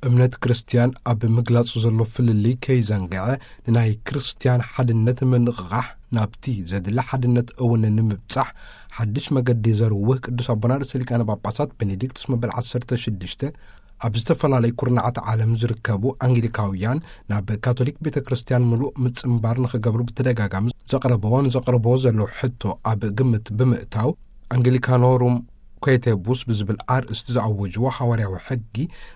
እምነት ክርስትያን ኣብ ምግላጹ ዘሎ ፍልልይ ከይዘንግዐ፣ ንናይ ክርስትያን ሓድነት ምንቕቓሕ፣ ናብቲ ዘድሊ ሓድነት እውን ንምብጻሕ ሓድሽ መገዲ ዘርውህ ቅዱስ ኣቦና ርእሰ ሊቃነ ጳጳሳት ቤኔዲክቱስ መበል ዓሰርተ ሽዱሽተ፣ ኣብ ዝተፈላለዩ ኩርናዓት ዓለም ዝርከቡ ኣንግሊካውያን ናብ ካቶሊክ ቤተ ክርስትያን ምሉእ ምጽንባር ንኽገብሩ ብተደጋጋሚ ዘቕረብዎ፣ ንዘቕርብዎ ዘለዉ ሕቶ ኣብ ግምት ብምእታው፣ ኣንግሊካኖሩም ኮየቴቡስ ብዝብል ኣርእስቲ ዝኣወጅዎ ሓዋርያዊ ሕጊ፣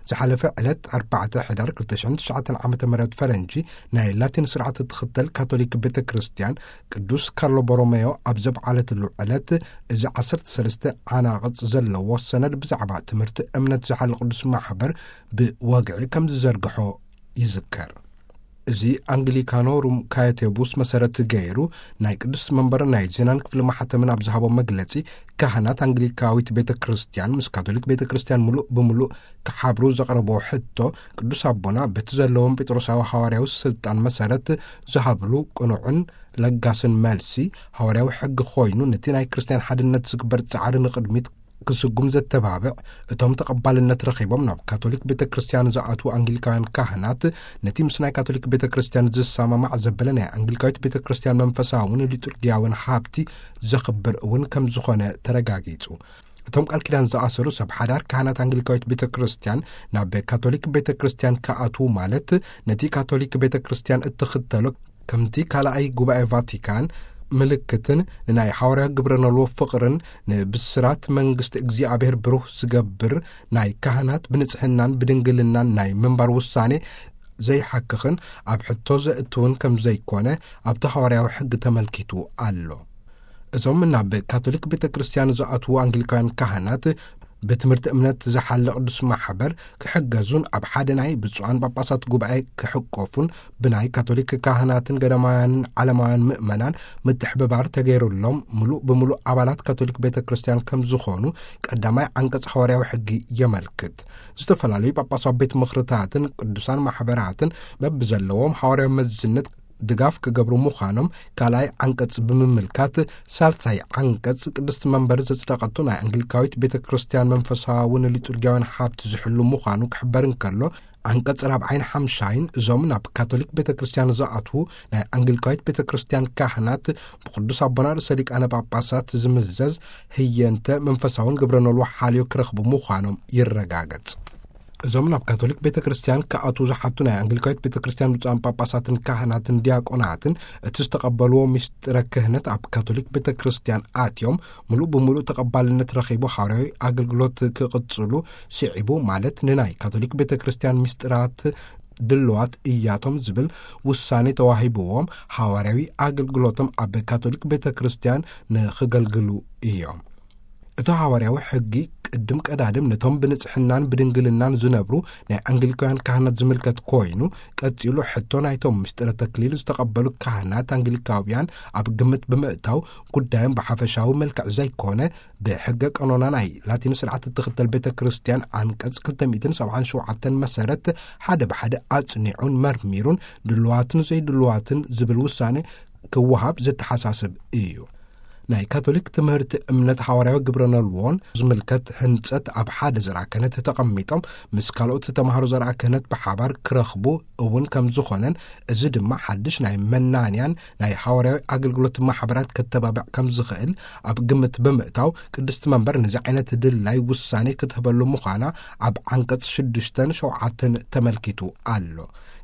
ዝሓለፈ ዕለት ኣርባዕተ ሕዳር ክልተ ሽሕን ትሽዓተን ዓመተ ምህረት ፈረንጂ፣ ናይ ላቲን ስርዓት እትኽተል ካቶሊክ ቤተ ክርስትያን፣ ቅዱስ ካርሎ ቦሮሜዮ ኣብ ዘብዓለትሉ ዕለት፣ እዚ ዓሰርተ ሰለስተ ዓናቕጽ ዘለዎ ሰነድ ብዛዕባ ትምህርቲ እምነት ዝሓሊ ቅዱስ ማሕበር ብወግዒ ከም ዝዘርግሖ ይዝከር። እዚ ኣንግሊካኖ ሩም ካየቴቡስ መሰረት ገይሩ፣ ናይ ቅዱስ መንበር ናይ ዜናን ክፍሊ ማሕተምን ኣብ ዝሃቦ መግለጺ፣ ካህናት ኣንግሊካዊት ቤተ ክርስትያን ምስ ካቶሊክ ቤተ ክርስትያን ምሉእ ብምሉእ ክሓብሩ ዘቕረብዎ ሕቶ፣ ቅዱስ ኣቦና በቲ ዘለዎም ጴጥሮሳዊ ሃዋርያዊ ስልጣን መሰረት ዝሃብሉ ቅኑዕን ለጋስን መልሲ፣ ሃዋርያዊ ሕጊ ኮይኑ፣ ነቲ ናይ ክርስትያን ሓድነት ዝግበር ጻዕሪ ንቕድሚት ክስጉም ዘተባብዕ፣ እቶም ተቐባልነት ረኺቦም ናብ ካቶሊክ ቤተ ክርስትያን ዝኣትዉ ኣንግሊካውያን ካህናት፣ ነቲ ምስ ናይ ካቶሊክ ቤተ ክርስትያን ዝሰማማዕ ዘበለ ናይ ኣንግሊካዊት ቤተ ክርስትያን መንፈሳውን ሊጡርጊያውን ሃብቲ ዘኽብር እውን ከም ዝኾነ ተረጋጊጹ። እቶም ቃል ኪዳን ዝኣሰሩ ሰብ ሓዳር ካህናት ኣንግሊካዊት ቤተ ክርስትያን ናብ ካቶሊክ ቤተ ክርስትያን ክኣትዉ ማለት፣ ነቲ ካቶሊክ ቤተ ክርስትያን እትኽተሎ ከምቲ ካልኣይ ጉባኤ ቫቲካን ምልክትን ንናይ ሓዋርያ ግብረ ኖልዎ ፍቕርን ንብስራት መንግስቲ እግዚኣብሔር ብሩህ ዝገብር ናይ ካህናት ብንጽሕናን ብድንግልናን ናይ ምንባር ውሳኔ ዘይሓክኽን ኣብ ሕቶ ዘእትውን ከም ዘይኮነ ኣብቲ ሃዋርያዊ ሕጊ ተመልኪቱ ኣሎ። እዞም ናብ ካቶሊክ ቤተ ክርስትያን ዝኣትዉ ኣንግሊካውያን ካህናት ብትምህርቲ እምነት ዝሓለ ቅዱስ ማሕበር ክሕገዙን ኣብ ሓደ ናይ ብፁዓን ጳጳሳት ጉባኤ ክሕቆፉን ብናይ ካቶሊክ ካህናትን ገዳማውያንን ዓለማውያን ምእመናን ምትሕብባር ተገይሩሎም ምሉእ ብምሉእ ኣባላት ካቶሊክ ቤተ ክርስትያን ከም ዝኾኑ ቀዳማይ ዓንቀጽ ሃዋርያዊ ሕጊ የመልክት። ዝተፈላለዩ ጳጳሳዊ ቤት ምኽርታትን ቅዱሳን ማሕበራትን በብዘለዎም ሃዋርያዊ መዝነት ድጋፍ ክገብሩ ምዃኖም ካልኣይ ዓንቀጽ ብምምልካት፣ ሳልሳይ ዓንቀጽ ቅድስቲ መንበር ዘጽደቐቶ ናይ ኣንግሊካዊት ቤተ ክርስትያን መንፈሳውን ሊጡርጊያውን ሃብቲ ዝሕሉ ምዃኑ ክሕበር እንከሎ፣ ዓንቀጽ ራብዓይን ሓምሻይን እዞም ናብ ካቶሊክ ቤተ ክርስትያን ዝኣትዉ ናይ ኣንግሊካዊት ቤተ ክርስትያን ካህናት ብቅዱስ ኣቦና ርእሰ ሊቃነ ጳጳሳት ዝምዘዝ ህየንተ መንፈሳውን ግብረ ኖልዎ ሓልዮ ክረኽቡ ምዃኖም ይረጋገጽ። እዞም ናብ ካቶሊክ ቤተ ክርስትያን ክኣትዉ ዝሓቱ ናይ ኣንግሊካዊት ቤተ ክርስትያን ብፁዓን ጳጳሳትን ካህናትን ዲያቆናትን እቲ ዝተቐበልዎ ምስጢረ ክህነት ኣብ ካቶሊክ ቤተ ክርስትያን ኣትዮም ምሉእ ብምሉእ ተቐባልነት ረኺቡ ሃዋርያዊ ኣገልግሎት ክቕጽሉ ስዒቡ፣ ማለት ንናይ ካቶሊክ ቤተ ክርስትያን ምስጢራት ድልዋት እያቶም ዝብል ውሳኔ ተዋሂብዎም ሃዋርያዊ ኣገልግሎቶም ኣብ ካቶሊክ ቤተ ክርስትያን ንኽገልግሉ እዮም። እቲ ሃዋርያዊ ሕጊ ቅድም ቀዳድም ነቶም ብንጽሕናን ብድንግልናን ዝነብሩ ናይ ኣንግሊካውያን ካህናት ዝምልከት ኮይኑ፣ ቀጺሉ ሕቶ ናይቶም ምስጢረ ተክሊል ዝተቐበሉ ካህናት ኣንግሊካውያን ኣብ ግምት ብምእታው፣ ጉዳዮም ብሓፈሻዊ መልክዕ ዘይኮነ፣ ብሕገ ቀኖና ናይ ላቲን ስርዓት እትኽተል ቤተ ክርስትያን ዓንቀጽ ክልተ ሚእትን ሰብዓን ሸውዓተን መሰረት ሓደ ብሓደ ኣጽኒዑን መርሚሩን ድልዋትን ዘይድልዋትን ዝብል ውሳኔ ክወሃብ ዘተሓሳስብ እዩ። ናይ ካቶሊክ ትምህርቲ እምነት ሃዋርያዊ ግብረ ነልዎን ዝምልከት ህንጸት ኣብ ሓደ ዘርኣ ክህነት ተቐሚጦም ምስ ካልኦት ተማሃሮ ዘርኣ ክህነት ብሓባር ክረኽቡ እውን ከም ዝኾነን፣ እዚ ድማ ሓድሽ ናይ መናንያን ናይ ሃዋርያዊ ኣገልግሎት ማሕበራት ከተባብዕ ከም ዝኽእል ኣብ ግምት ብምእታው፣ ቅድስቲ መንበር ነዚ ዓይነት ድላይ ውሳኔ ክትህበሉ ምዃና ኣብ ዓንቀጽ ሽዱሽተን ሸውዓተን ተመልኪቱ ኣሎ።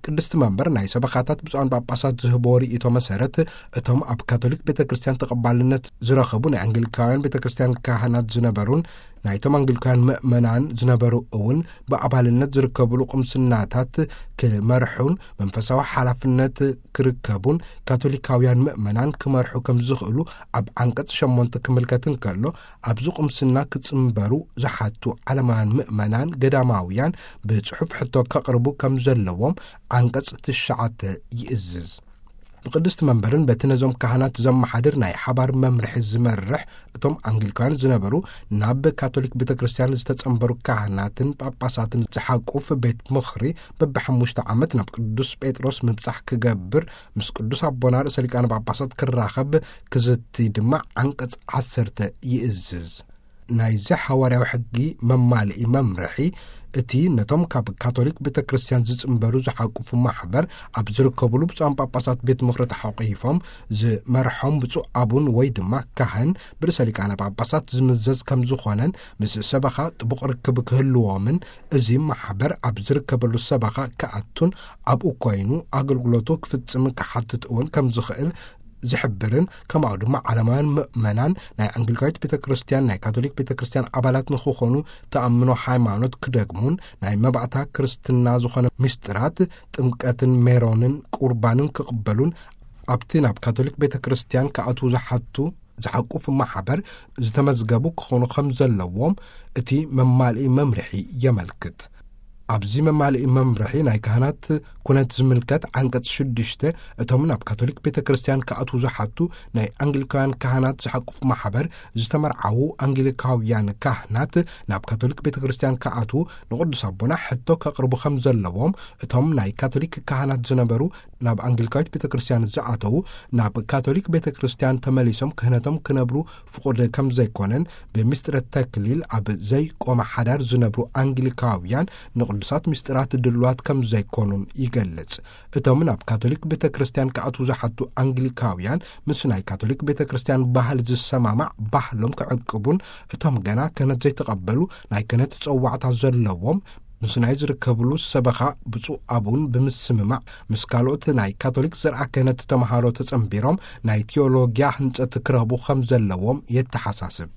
ቅድስቲ መንበር ናይ ሰበኻታት ብፁዓን ጳጳሳት ዝህቦ ርእይቶ መሰረት፣ እቶም ኣብ ካቶሊክ ቤተ ክርስትያን ተቐባልነት ዝረኸቡ ናይ ኣንግሊካውያን ቤተ ክርስትያን ካህናት ዝነበሩን ናይቶም ኣንግሊካውያን ምእመናን ዝነበሩ እውን ብኣባልነት ዝርከብሉ ቁምስናታት ክመርሑን መንፈሳዊ ሓላፍነት ክርከቡን ካቶሊካውያን ምእመናን ክመርሑ ከም ዝኽእሉ ኣብ ዓንቀጽ ሸሞንተ ክምልከት እንከሎ፣ ኣብዚ ቁምስና ክጽንበሩ ዝሓቱ ዓለማውያን ምእመናን ገዳማውያን ብጽሑፍ ሕቶ ከቕርቡ ከም ዘለዎም ዓንቀጽ ትሽዓተ ይእዝዝ። ብቅድስቲ መንበርን በቲ ነዞም ካህናት ዘመሓድር ናይ ሓባር መምርሒ ዝመርሕ፣ እቶም ኣንግሊካውያን ዝነበሩ ናብ ካቶሊክ ቤተ ክርስትያን ዝተጸንበሩ ካህናትን ጳጳሳትን ዝሓቁፍ ቤት ምኽሪ በብሓሙሽተ ዓመት ናብ ቅዱስ ጴጥሮስ ምብጻሕ ክገብር ምስ ቅዱስ ኣቦና ርእሰ ሊቃነ ጳጳሳት ክራኸብ ክዝቲ ድማ ዓንቀጽ ዓሰርተ ይእዝዝ። ናይዚ ሓዋርያዊ ሕጊ መማልኢ መምርሒ እቲ ነቶም ካብ ካቶሊክ ቤተ ክርስቲያን ዝጽንበሩ ዝሓቁፉ ማሕበር ኣብ ዝርከብሉ ብፁዓን ጳጳሳት ቤት ምኽሪ ተሓቑፎም ዝመርሖም ብፁዕ ኣቡን ወይ ድማ ካህን ብርእሰ ሊቃነ ጳጳሳት ዝምዘዝ ከም ዝኾነን ምስ ሰበኻ ጥቡቕ ርክብ ክህልዎምን እዚ ማሕበር ኣብ ዝርከበሉ ሰበኻ ክኣቱን ኣብኡ ኮይኑ ኣገልግሎቱ ክፍጽም ክሓትት እውን ከም ዝኽእል ዝሕብርን ከማኡ ድማ ዓለማውያን ምእመናን ናይ ኣንግሊካዊት ቤተ ክርስቲያን ናይ ካቶሊክ ቤተ ክርስቲያን ኣባላት ንክኾኑ ተኣምኖ ሃይማኖት ክደግሙን ናይ መባእታ ክርስትና ዝኾነ ምስጢራት ጥምቀትን ሜሮንን ቁርባንን ክቕበሉን ኣብቲ ናብ ካቶሊክ ቤተ ክርስቲያን ክኣትዉ ዝሓቱ ዝሓቁፍ ማሕበር ዝተመዝገቡ ክኾኑ ከም ዘለዎም እቲ መማልኢ መምርሒ የመልክት። ኣብዚ መማልኢ መምርሒ ናይ ካህናት ኩነት ዝምልከት ዓንቀጽ ሽዱሽተ እቶም ናብ ካቶሊክ ቤተ ክርስቲያን ክኣትዉ ዝሓቱ ናይ ኣንግሊካውያን ካህናት ዝሓቁፍ ማሕበር ዝተመርዓዉ ኣንግሊካውያን ካህናት ናብ ካቶሊክ ቤተ ክርስቲያን ክኣትዉ ንቅዱስ ኣቦና ሕቶ ከቕርቡ ከም ዘለዎም እቶም ናይ ካቶሊክ ካህናት ዝነበሩ ናብ ኣንግሊካዊት ቤተ ክርስቲያን ዝኣተዉ ናብ ካቶሊክ ቤተ ክርስቲያን ተመሊሶም ክህነቶም ክነብሩ ፍቑድ ከም ዘይኮነን ብምስጢረ ተክሊል ኣብ ዘይቆመ ሓዳር ዝነብሩ ኣንግሊካውያን ንቅዱሳት ምስጢራት ድልዋት ከም ዘይኮኑን ይገልጽ። እቶም ናብ ካቶሊክ ቤተ ክርስቲያን ክኣትዉ ዝሓቱ ኣንግሊካውያን ምስ ናይ ካቶሊክ ቤተ ክርስቲያን ባህል ዝሰማማዕ ባህሎም ክዕቅቡን እቶም ገና ክህነት ዘይተቐበሉ ናይ ክህነት ጸዋዕታ ዘለዎም ምስ ናይ ዝርከብሉ ሰበኻ ብፁዕ ኣቡን ብምስምማዕ ምስ ካልኦት ናይ ካቶሊክ ዘርዓ ክህነት ተምሃሮ ተጸንቢሮም ናይ ቴዎሎጊያ ህንጸት ክረኽቡ ከም ዘለዎም የተሓሳስብ።